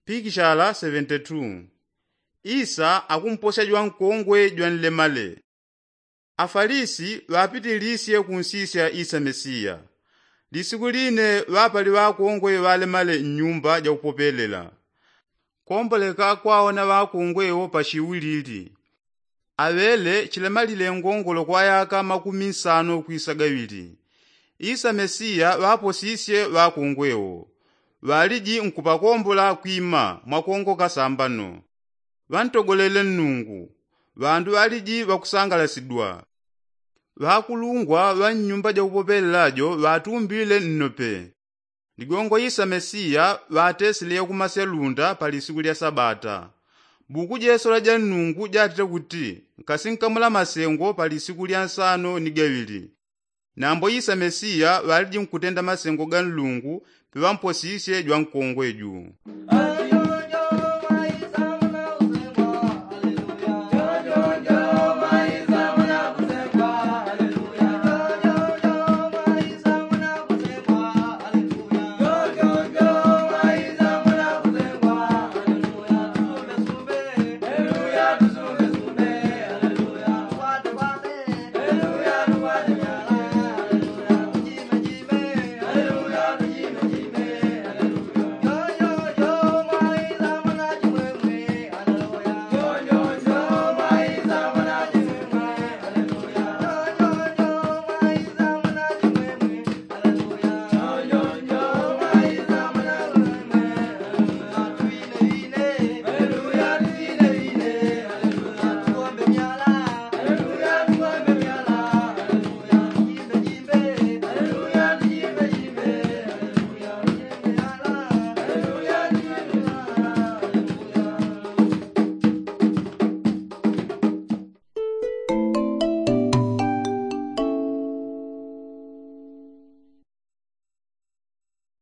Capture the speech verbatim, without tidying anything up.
Pikishala seventy-two. Isa akumposya jwankongwe jwanlemale. Afalisi ŵapitilisye kunsisya isa mesiya. Lisiku line ŵapali ŵakongwe ŵalemale nnyumba jakupopelela. Komboleka kwaona ŵakongwe wo pashiwi lili. Aŵele chilemalile ngongolo kwa yaka makumi nsano kwisa gaŵili. Isa mesiya ŵaposisye ŵakongwe wo. Ŵaliji nkupakombola kwima mwakongoka sambano. Ŵantogolele nnungu. Ŵandu ŵaliji ŵakusangalasidwa. Ŵakulungwa ŵa nnyumba jakupopelela jo ŵatumbile nnope. Ligongo isa mesiya ŵatesile yakumasya lunda pa lisiku lya sabata. Buku jesola ja nnungu jatite kuti nkasinkamula masengo pa lisiku lya nsano ni gaŵili. Nambo isa mesiya ŵaliji nkutenda masengo ga nlungu. Piŵamposisye jwankongwe ju.